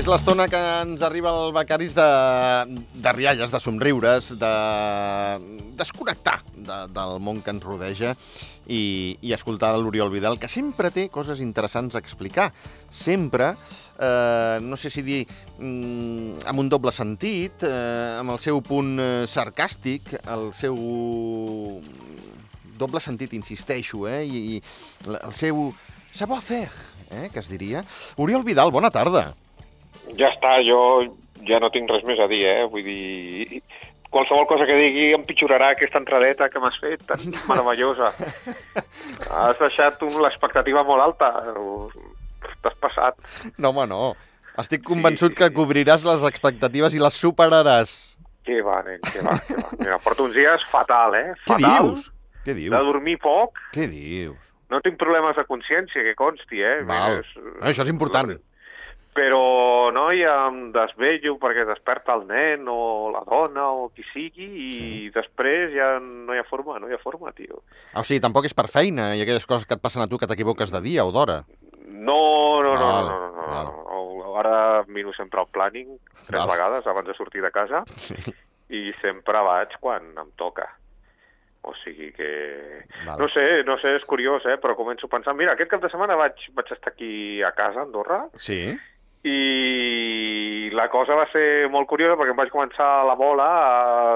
És l'estona que ens arriba al Becaris de rialles, de somriures, de desconnectar del món que ens rodeja i escoltar l'Oriol Vidal, que sempre té coses interessants a explicar. Sempre, no sé si dir, amb un doble sentit, amb el seu punt sarcàstic, el seu doble sentit, insisteixo, i el seu savoir-faire, que es diria. Oriol Vidal, bona tarda. Ja està, jo ja no tinc res més a dir, Vull dir, qualsevol cosa que digui empitjorarà aquesta entradeta que m'has fet, tan meravellosa. Has deixat l'expectativa molt alta. T'has passat. No, home, no. Estic convençut que cobriràs les expectatives i les superaràs. Què va, nen, què va. Mira, porto uns dies fatal, Fatal. Què dius? De dormir poc. Què dius? No tinc problemes de consciència, que consti, Val. Això és important. Però no, ja em desvello perquè desperta el nen o la dona o qui sigui i després ja no hi ha forma, tio. O sigui, tampoc és per feina i aquelles coses que et passen a tu que t'equivoques de dia o d'hora. No. Ara miro sempre el planning 3 vegades abans de sortir de casa i sempre vaig quan em toca. O sigui que... No sé, és curiós, però començo a pensar... Mira, aquest cap de setmana vaig estar aquí a casa, a Andorra, i la cosa va ser molt curiosa perquè em vaig començar la bola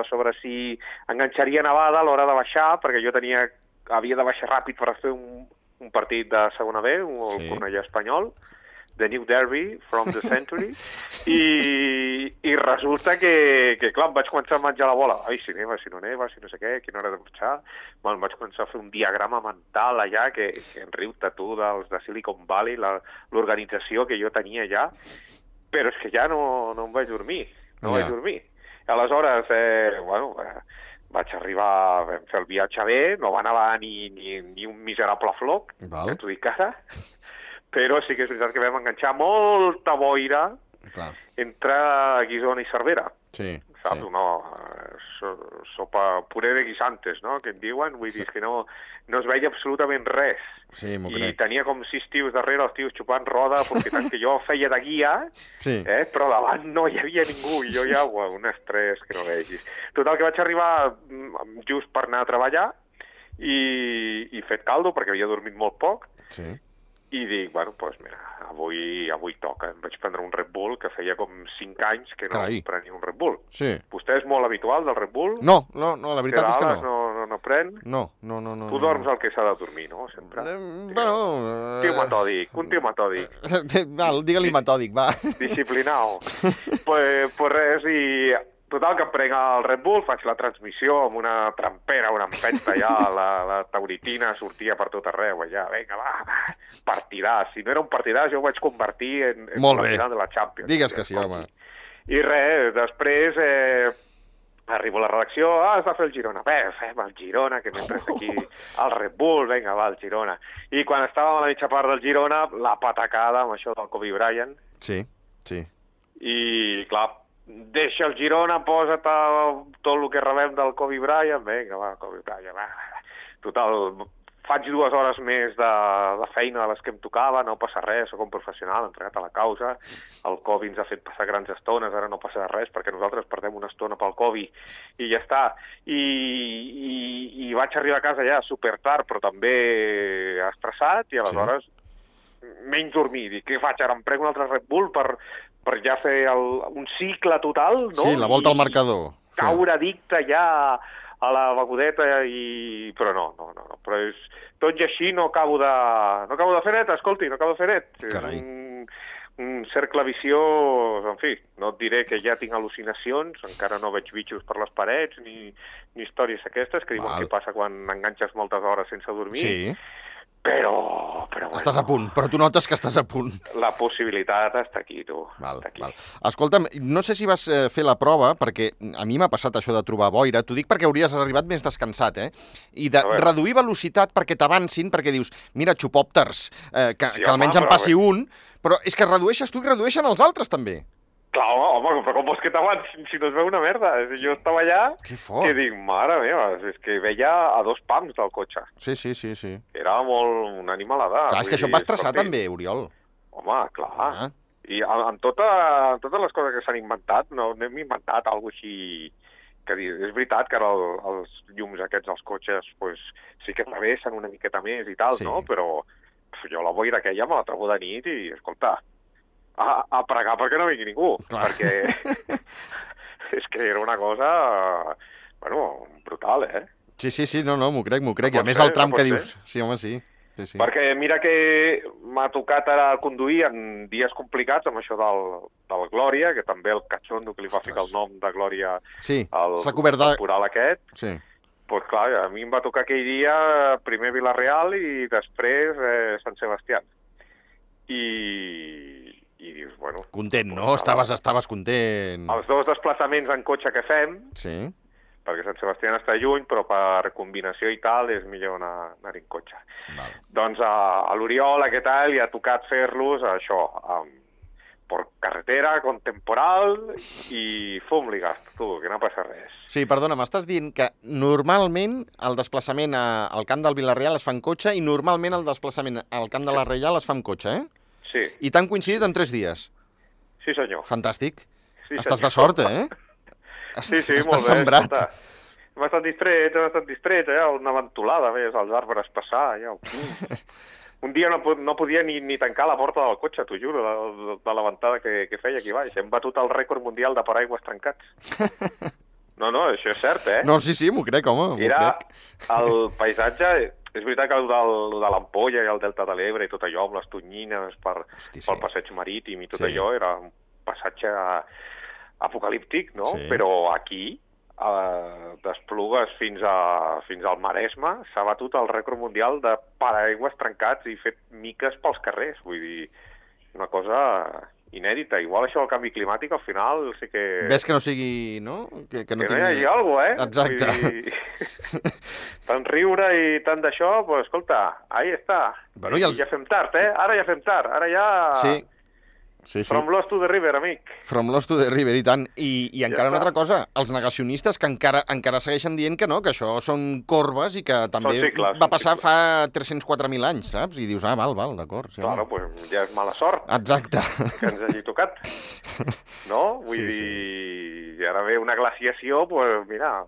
sobre si enganxaria nevada a l'hora de baixar, perquè jo havia de baixar ràpid per fer un partit de segona B, el Cornellà Espanyol, The New Derby from the Century, i resulta que, clar, em vaig començar a menjar la bola. Ai, si neva, si no neva, si no sé què, quina hora de marxar. Em vaig començar a fer un diagrama mental allà, que en riu-te tu dels de Silicon Valley, l'organització que jo tenia allà, però és que ja no em vaig dormir, vaig dormir. Aleshores, vaig arribar, vam fer el viatge bé, no va nevar ni un miserable floc, que t'ho dic ara, però sí que és veritat que vam enganxar molta boira entre Guissona i Cervera. Saps? Sopa puré de guisantes, no?, que en diuen. Vull dir que no es veia absolutament res. I tenia com 6 tios darrere, els tios xupant roda, aprofitant que jo feia de guia, però davant no hi havia ningú, i jo ja, un estrès que no vegis. Total, que vaig arribar just per anar a treballar i fet caldo, perquè havia dormit molt poc, i dic, mira, avui toca. Em vaig prendre un Red Bull, que feia com 5 anys que no prenia un Red Bull. Vostè és molt habitual del Red Bull? No, la veritat és que no. No pren? No. Tu dorms el que s'ha de dormir, no? Sempre. Un tio metòdic. Digue-li metòdic, va. Disciplinau. Pues res, i... Total, que em prenc el Red Bull, faig la transmissió amb una trampera, una empenta ja, la tauritina sortia per tot arreu, allà, vinga, va, partidàs. Si no era un partidàs, jo ho vaig convertir en la final de la Champions. Digues que sí, home. I res, després arribo a la redacció, has de fer el Girona. Bé, fem el Girona, que m'he pres aquí el Red Bull, vinga, va, el Girona. I quan estàvem a la mitja part del Girona, la patacada amb això del Kobe Bryant. Sí. I, clar, deixa el Girona, posa't tot el que rebem del Kobe Bryant, vinga, va, Kobe Bryant, va. Total, faig 2 hores més de feina de les que em tocava, no passa res, soc un professional, entregat a la causa, el Kobe ens ha fet passar grans estones, ara no passa res, perquè nosaltres perdem una estona pel Kobe, i ja està. I vaig arribar a casa ja super tard, però també estressat, i aleshores menys dormir. Dic, què faig ara? Em prenc un altre Red Bull per ja fer un cicle total, no? Sí, la volta al marcador. Caure addicte ja a la begudeta, però no. Però tot i així no acabo de fer net, escolti, no acabo de fer net. Carai. És un cercle viciós, en fi, no et diré que ja tinc al·lucinacions, encara no veig bitxos per les parets, ni històries aquestes, que diuen que passa quan enganxes moltes hores sense dormir. Sí. Però estàs a punt, però tu notes que estàs a punt. La possibilitat està aquí, tu. Val. Escolta'm, no sé si vas fer la prova, perquè a mi m'ha passat això de trobar boira, t'ho dic perquè hauries arribat més descansat, i de reduir velocitat perquè t'avancin, perquè dius, mira, xupòpters, que almenys en passi un, però és que redueixes tu i redueixen els altres també. Clar, home, però com vols que t'avancin si no es veu una merda? Jo estava allà que dic, mare meva, és que veia a 2 pams del cotxe. Sí. Era molt una animalada. Clar, és que això em va estressar també, Oriol. Home, clar. I amb totes les coses que s'han inventat, no hem inventat alguna cosa així que dir. És veritat que ara els llums aquests dels cotxes pues, sí que travessen una miqueta més i tal, Sí. no? Però jo la boira aquella me la trobo de nit i, escolta, a pregar perquè no vingui ningú. Clar. Perquè és que era una cosa, bueno, brutal, eh? Sí, no, m'ho crec. No I a pot més ser, el tram no que pot dius... Sí, home, sí. Perquè mira que m'ha tocat ara conduir en dies complicats amb això del Glòria, que també el catxondo que li va ficar el nom de Glòria Sí, al s'ha cobert de... temporal aquest, Sí. pues clar, a mi em va tocar aquell dia primer Vila-real i després Sant Sebastià. I dius, bueno... Content, no? Estaves content. Els dos desplaçaments en cotxe que fem, Sí. perquè Sant Sebastià està lluny, però per combinació i tal és millor anar en cotxe. Val. Doncs a l'Oriol aquest any li ha tocat fer-los això, per carretera, con temporal i fum li gasto, tu, que no passa res. Sí, perdona, m'estàs dient que normalment el desplaçament al camp del Vila-real es fa en cotxe i normalment el desplaçament al camp de la Reial es fa en cotxe, eh? Sí, I t'han coincidit en 3 dies. sí senyor. Fantàstic. Sí, Estàs senyor. de sort, eh? Sí, Estàs molt bé. sembrat. Escolta, hem estat distrets, una ventolada, ves, els arbres passar, ja. Un dia no podia ni tancar la porta del cotxe, t'ho juro, de la ventada que feia aquí baix. Hem batut el rècord mundial de paraigües trencats. No, això és cert, eh? No, sí, m'ho crec, home, m'ho Era crec. el paisatge... És veritat que el de l'Ampolla i el Delta de l'Ebre i tot allò, amb les tonyines pel passeig marítim i tot allò, era un passatge apocalíptic, no? Sí. Però aquí, d'Esplugues fins al Maresme, s'ha batut el rècord mundial de paraigües trencats i fet miques pels carrers. Vull dir, una cosa inèdita. Igual això del canvi climàtic, al final, sí que... Ves que no sigui, no? Que no hi tingui... hagi alguna cosa, eh? Exacte. Vull dir, tant riure i tant d'això, pues, escolta, ahí està. Bueno, i els... Ja fem tard, eh? Ara ja fem tard. Ara ja... Sí. From Lost to the River, amic. From Lost to the River, i tant. I encara està. una altra cosa, els negacionistes que encara segueixen dient que no, que això són corbes i que també cicles, va passar fa 304.000 anys, saps? I dius, val, d'acord. Sí, Claro, pues ja és mala sort exacte. que ens hagi tocat. No? Vull dir, i ara ve una glaciació, pues mira,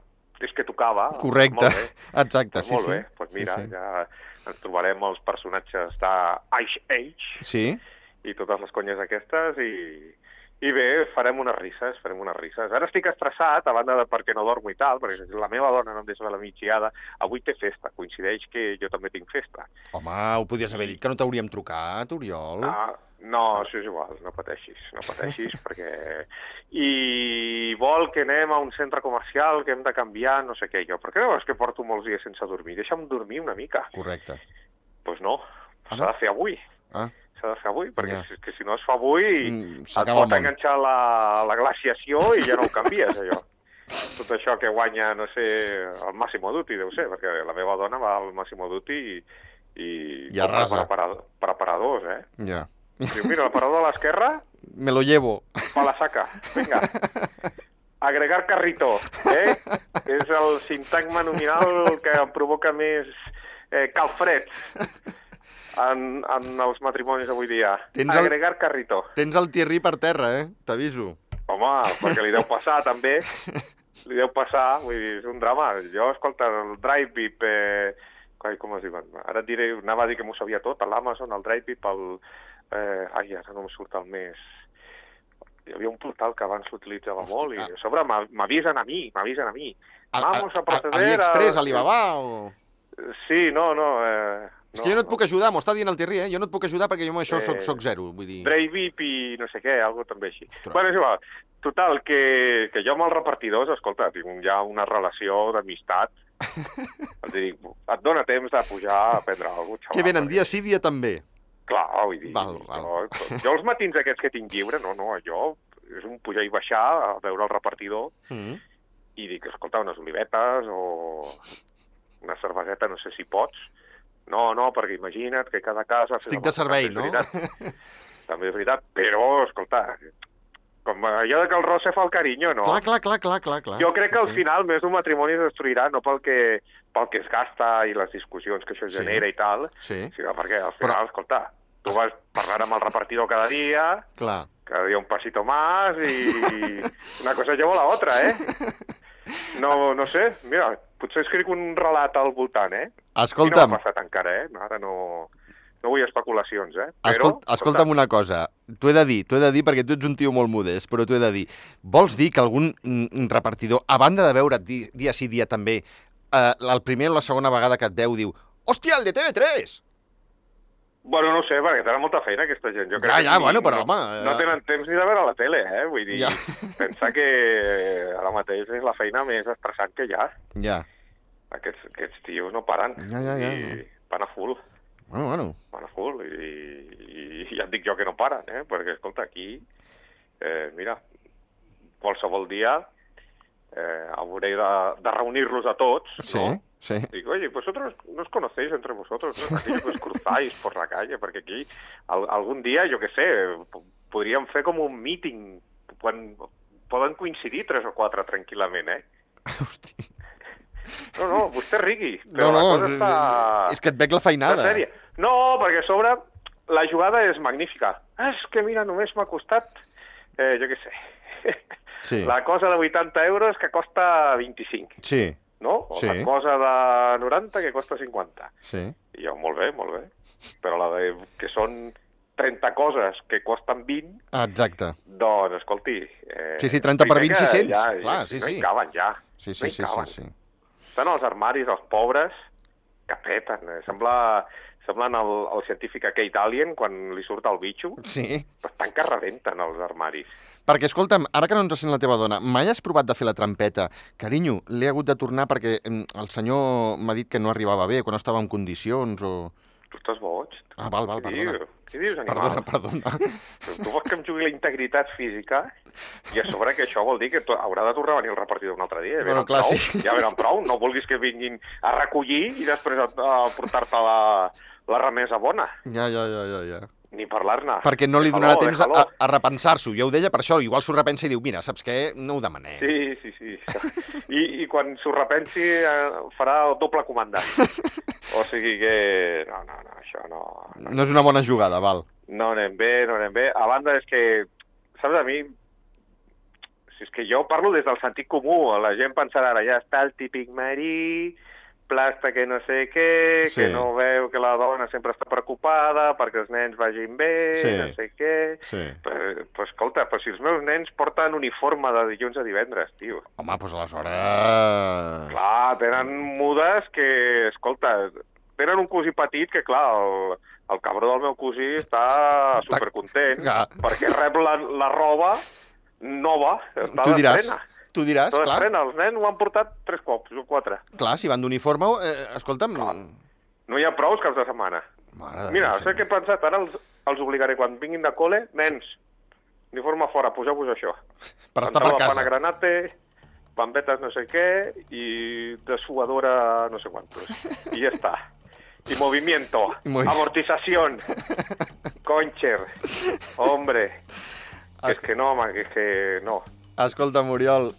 és que tocava. Correcte, Molt bé. exacte, sí, Molt sí. bé, pues mira, Sí. ja ens trobarem els personatges d'Ice Age Sí, i totes les conyes aquestes i bé, farem unes risses. Ara estic estressat, a banda de perquè no dormo i tal, perquè la meva dona no em deixa a la migdiada. Avui té festa, coincideix que jo també tinc festa. home, ho podies haver dit que no t'hauríem trucat, Oriol. No, això és igual, no pateixis, perquè... I vol que anem a un centre comercial, que hem de canviar, no sé què, jo. Per què no és que porto molts dies sense dormir? Deixa'm dormir una mica. Correcte. Doncs no, Ah, s'ha de fer avui. S'ha de fer avui, perquè Ja. és que si no es fa avui et s'acaba el pot món. enganxar la glaciació i ja no ho canvies, allò. Tot això que guanya, no sé, el Massimo Dutti, deu ser, perquè la meva dona va al Massimo Dutti i arrasa. per aparadors, eh? Ja. Diu, mira, l'aparador de l'esquerra, Me lo llevo. pa la saca, vinga. Agregar carrito, eh? És el sintagma nominal que em provoca més calfreds en els matrimonis avui dia. Agregar carrito. Tens el Thierry per terra, t'aviso. Home, perquè li deu passar, també. Li deu passar, vull dir, és un drama. Jo, escolta, el Drive Beep, com es diuen? Ara et diré, anava a dir que m'ho sabia tot, l'Amazon, el Drive Beep, ara no em surt el més... Hi havia un portal que abans s'utilitzava molt i a sobre m'avisen a mi. Vamos a proceder AliExpress, Alibaba o...? Sí, no. És que jo no et puc ajudar, m'ho està dient el Thierry, Jo no et puc ajudar perquè jo amb això soc zero, vull dir... Drive Beep i no sé què, algo també així. Bueno, és igual. Total, que jo amb els repartidors, escolta, tinc ja una relació d'amistat. Els dic, et dona temps de pujar a prendre alguna cosa, xaval. Que venen dia sí, dia també. Clar, vull dir, jo els matins aquests que tinc lliure, jo és un pujar i baixar a veure el repartidor i dic, escolta, unes olivetes o una cerveseta, no sé si pots. No, perquè imagina't que cada casa... Estic de servei, no? També és veritat, però, escolta, com allò que el roce fa el carinyo, no? Clar. Jo crec que al final més d'un matrimoni es destruirà, no pel que es gasta i les discussions que això genera i tal, sinó perquè al final, escolta, Tu vas parlar amb el repartidor cada dia, Clar. cada dia un pasito más i una cosa lleva la otra, eh? No sé, mira, potser escric un relat al voltant, eh? Escolta'm. I no m'ha passat encara, eh? Ara no vull especulacions, eh? Escolta'm una cosa, t'ho he de dir perquè tu ets un tio molt modest, però t'ho he de dir. Vols dir que algun repartidor, a banda de veure't dia sí dia també, el primer o la segona vegada que et veu diu «Hòstia, el de TV3!» Bueno, no sé, perquè tenen molta feina aquesta gent. Jo crec Ja, que bueno, però no, home... No tenen temps ni de veure la tele, eh? Vull dir, pensar que ara mateix és la feina més estressant que hi ha. Ja. Aquests tios no paren. Ja. I van a full. Bueno. Van a full. I ja et dic jo que no paren, eh? Perquè, escolta, aquí, mira, qualsevol dia hauré de reunir-los a tots, no? Sí. Digo, oye, vosotros no os conocéis entre vosotros, ¿no? Aquello que os cruzáis por la calle, perquè aquí algun dia, jo què sé, podríem fer com un meeting, quan poden coincidir 3 o 4 tranquil·lament, eh? Hosti. No, vostè rigui, però la cosa està... És que et veig la feinada. Sèrie. No, perquè a sobre la jugada és magnífica. És que mira, només m'ha costat, jo què sé, la cosa de 80 euros que costa 25. Sí. No? O la cosa de 90 que costa 50. Sí. I jo, molt bé. Però la de que són 30 coses que costen 20... Exacte. Doncs, escolti... Sí, 30 per 20, 600. Clar, sí. No hi caben, ja. Sí. Estan als armaris, els pobres, que peten. Semblen el científic aquell d'Alien, quan li surt el bitxo. Sí. Estan que rebenten els armaris. Perquè, escolta'm, ara que no ens sent la teva dona, mai has provat de fer la trampeta? Carinyo, l'he hagut de tornar perquè el senyor m'ha dit que no arribava bé, que no estava en condicions o... Tu estàs boig? Ah, val, perdona. Què dius, animal? Perdona. Tu vols que em jugui la integritat física i a sobre que això vol dir que haurà de tornar a venir el repartidor un altre dia. Bueno, clar, sí. Ja venen prou. No vulguis que vinguin a recollir i després a portar-te la remesa bona. Ja. Ni parlar-ne. Perquè no li donarà temps a repensar-s'ho. Jo ho deia per això. Igual s'ho repensa i diu, mira, saps què? No ho demanem. Sí. I quan s'ho repensi farà el doble comandant. O sigui que... No, això no... No és una bona jugada, val. No anem bé. A banda és que, saps, a mi... Si és que jo parlo des del sentit comú. La gent pensarà, ara ja està el típic marí... plasta que no sé què, que no veu que la dona sempre està preocupada perquè els nens vagin bé, no sé què... Però escolta, si els meus nens porten uniforme de dilluns a divendres, tio. Home, doncs aleshores... Clar, tenen mudes que, escolta, tenen un cosí petit que, clar, el cabró del meu cosí està supercontent perquè rep la roba nova, està d'estrena. Tu diràs, clar. Els nens ho han portat 3 cops o 4. Clar, si van d'uniforme, escolta'm... No hi ha prou caps de setmana. Mira, sé què he pensat, ara els obligaré, quan vinguin de col·le, nens, uniforme fora, poseu-vos això. Per estar per casa. Pana granate, bambetes no sé què, i dessuadora no sé quantos. I ja està. I movimiento, amortización, concher, hombre. És que no, home, és que no. Escolta, Oriol,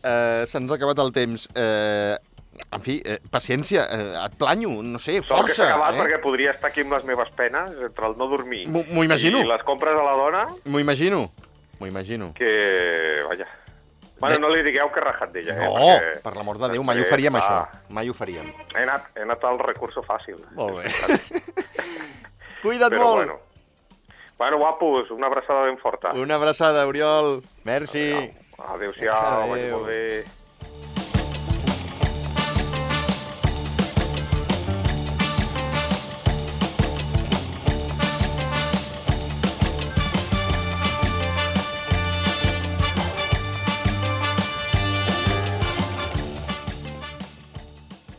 se'ns ha acabat el temps. En fi, paciència, et planyo, no sé, força. Sort que s'ha acabat perquè podria estar aquí amb les meves penes, entre el no dormir m'ho imagino. I les compres a la dona. M'ho imagino. Que, vaja... Bueno, no li digueu que he rajat d'ella. No, per l'amor de Déu, mai ho faríem, això. Mai ho faríem. He anat al recurso fàcil. Molt bé. Cuida't molt. Bueno, guapos, una abraçada ben forta. Una abraçada, Oriol. Merci. Adéu-siau, vagi molt bé.